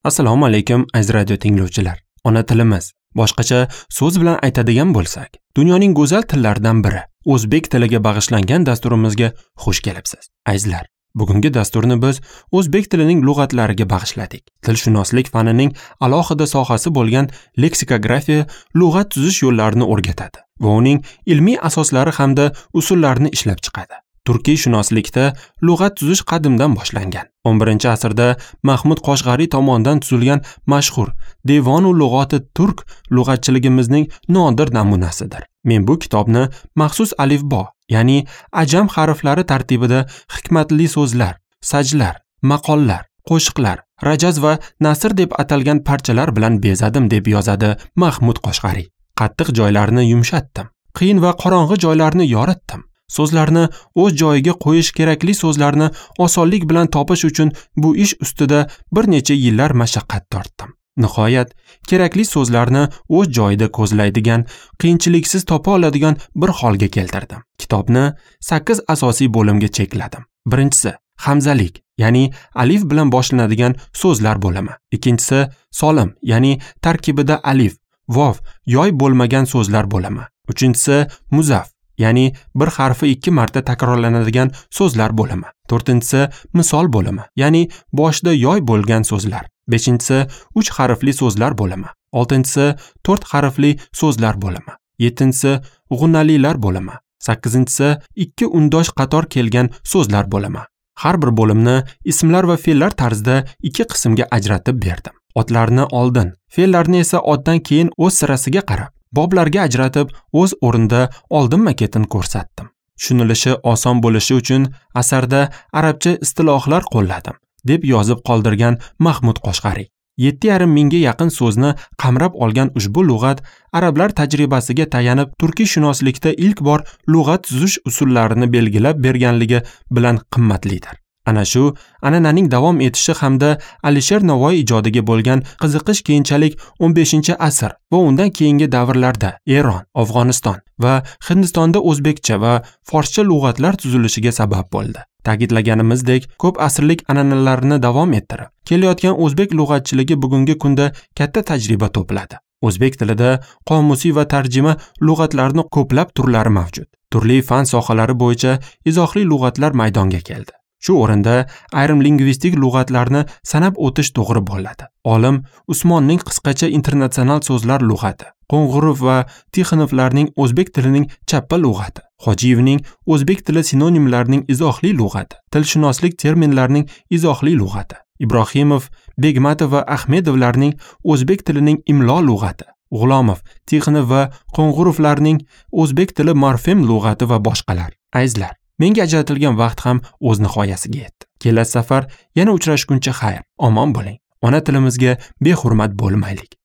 Assalomu alaykum, aziz radio tinglovchilar. Ona tilimiz, boshqacha so'z bilan aytadigan bo'lsak, dunyoning go'zal tillaridan biri, o'zbek tiliga bag'ishlangan dasturimizga xush kelibsiz. Azizlar, bugungi dasturni biz o'zbek tilining lug'atlariga bag'ishladik. Tilshunoslik fanining alohida sohasi bo'lgan leksikografiya lug'at tuzish yo'llarini o'rgatadi va uning ilmiy asoslari hamda usullarini ishlab chiqadi. Turkiy shunoslikda lug'at tuzish qadimdan boshlangan. 11-asrda Mahmud Qoshg'ariy tomonidan tuzilgan mashhur Devonu lug'oti turk lug'atchiligimizning nodir namunasidir. Men bu kitobni maxsus alifbo, ya'ni ajam harflari tartibida hikmatli so'zlar, sajlar, maqollar, qo'shiqlar, rajaz va nasr deb atalgan parchalar bilan bezadim deb yozadi Mahmud Qoshg'ariy. Qattiq joylarni yumshatdim, qiyin va qorong'i joylarni yoritdim. So'zlarni o'z joyiga qo'yish kerakli so'zlarni osonlik bilan topish uchun bu ish ustida bir necha yillar mashaqqat tortdim. Nihoyat, kerakli so'zlarni o'z joyida ko'zlaydigan, qiyinchiliksiz topa oladigan bir holga keltirdim. Kitobni 8 asosiy bo'limga chekladim. Birinchisi, hamzalik, ya'ni alif bilan boshlanadigan so'zlar bo'limi. Ikkinchisi, solim, ya'ni tarkibida alif, vov, yoy bo'lmagan so'zlar bo'limi. Uchinchisi, muzaf, ya'ni bir harfi 2 marta takrorlanadigan so'zlar bo'limi. To'rtinchisi, misol bo'limi, ya'ni boshida yoy bo'lgan so'zlar. Beshinchisi, 3 harfli so'zlar bo'limi. Oltinchisi, 4 harfli so'zlar bo'limi. Yettinchisi, g'unnalilar bo'limi. Sakkizinchisi, 2 undosh qator kelgan so'zlar bo'limi. Har bir bo'limni ismlar va fe'llar tarzida 2 qismga ajratib berdim. Otlarni oldin, fe'llarni esa otdan keyin o'z sirasiga qarab boblarga ajratib, o'z o'rnida oldinma-ketin ko'rsatdim. Tushunilishi oson bo'lishi uchun asarda arabcha istilohlar qo'lladim, deb yozib qoldirgan Mahmud Qoshg'ariy. 7,5 mingga yaqin so'zni qamrab olgan ushbu lug'at arablar tajribasiga tayanib turkiy shunoslikda ilk bor lug'at tuzish usullarini belgilab berganligi bilan qimmatlidir. Ana shu an'ananing davom etishi hamda Alisher Navoiy ijodiga bo'lgan qiziqish keyinchalik 15-asr va undan keyingi davrlarda Eron, Afg'oniston va Hindistonda o'zbekcha va forscha lug'atlar tuzilishiga sabab bo'ldi. Ta'kidlaganimizdek, ko'p asrlik an'analarni davom ettirib kelayotgan o'zbek lug'atchiligi bugungi kunda katta tajriba to'pladi. O'zbek tilida qomusiy va tarjima lug'atlarning ko'plab turlari mavjud. Turli fan sohalari bo'yicha izohli lug'atlar maydonga keldi. Shu o'rinda ayrim lingvistik lug'atlarni sanab o'tish to'g'ri bo'ladi. Olim Usmonning qisqacha internatsional so'zlar lug'ati, Qo'ng'irov va Tixonovlarning o'zbek tilining chappa lug'ati, Hojiyevning o'zbek tili sinonimlarining izohli lug'ati, tilshunoslik terminlarining izohli lug'ati, Ibrohimov, Begmatov va Ahmedovlarning o'zbek tilining imlo lug'ati, G'ulomov, Tixonov va Qo'ng'irovlarning o'zbek tili morfem lug'ati va boshqalar. Azizlar, menga ajratilgan vaqt ham o'z nihoyasiga yetdi. Kelasi safar yana uchrashguncha xayr, omon bo'ling. Ona tilimizga behurmat bo'lmaylik.